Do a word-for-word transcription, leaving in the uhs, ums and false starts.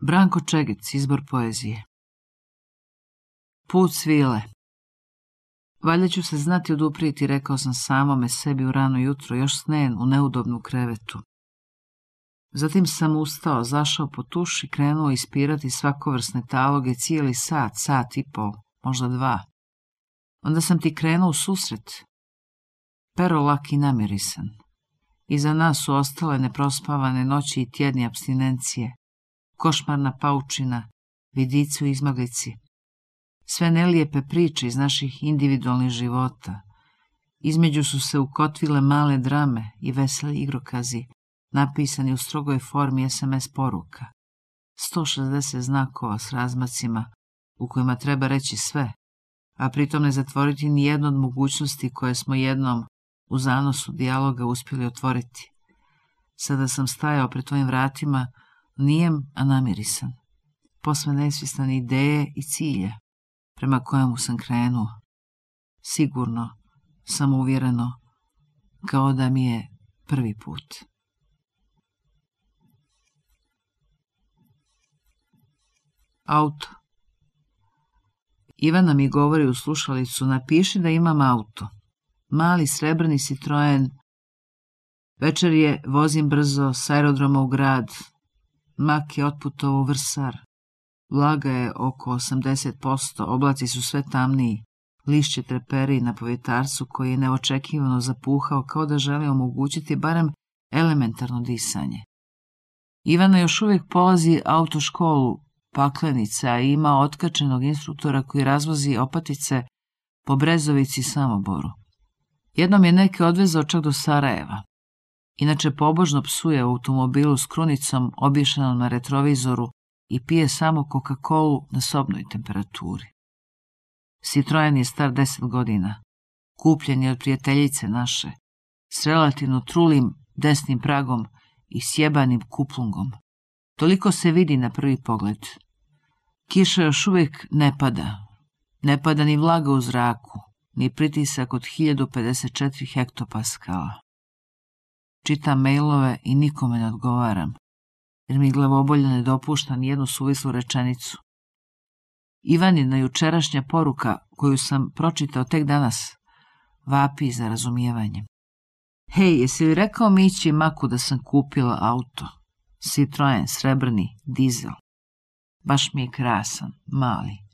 Branko Čegic, izbor poezije. Put svile. Valjda ću se znati oduprijeti, rekao sam samome sebi u rano jutro, još snen u neudobnu krevetu. Zatim sam ustao, zašao po tuš i krenuo ispirati svakovrsne taloge cijeli sat, sat i pol, možda dva. Onda sam ti krenuo u susret. Pero lak i namirisan. Iza nas su ostale neprospavane noći i tjedni apstinencije, košmarna paučina, vidici u izmaglici. Sve nelijepe priče iz naših individualnih života. Između su se ukotvile male drame i veseli igrokazi, napisani u strogoj formi es em es poruka. sto šezdeset znakova s razmacima u kojima treba reći sve, a pritom ne zatvoriti ni jednu od mogućnosti koje smo jednom u zanosu dijaloga uspjeli otvoriti. Sada sam stajao pred tvojim vratima, nijem, a namirisan, posve nesvjestan ideje i cilja prema kojemu sam krenuo. Sigurno, samouvjereno, kao da mi je prvi put. Auto. Ivana mi govori u slušalicu, napiši da imam auto. Mali srebrni Citroen. Večer je, vozim brzo s aerodroma u grad. Mak je otputovao u Vrsar. Vlaga je oko osamdeset posto, oblaci su sve tamniji. Lišće treperi na povjetarcu koji je neočekivano zapuhao kao da želi omogućiti barem elementarno disanje. Ivana još uvijek polazi autoškolu, paklenica, i ima otkačenog instruktora koji razvozi opatice po Brezovici i Samoboru. Jednom je neke odvezao čak do Sarajeva. Inače pobožno psuje u automobilu s krunicom obješenom na retrovizoru i pije samo Coca-Colu na sobnoj temperaturi. Citroen je star deset godina. Kupljen je od prijateljice naše, s relativno trulim desnim pragom i sjebanim kuplungom. Toliko se vidi na prvi pogled. Kiša još uvijek ne pada. Ne pada ni vlaga u zraku, ni pritisak od hiljadu pedeset četiri hektopaskala. Čitam mailove i nikome ne odgovaram, jer mi glavobolja ne dopušta ni jednu suvislu rečenicu. Ivanina jučerašnja poruka, koju sam pročitao tek danas, vapi za razumijevanjem. Hej, jesi li rekao Mići Maku da sam kupila auto? Citroen, srebrni, dizel. Baš mi je krasan, mali,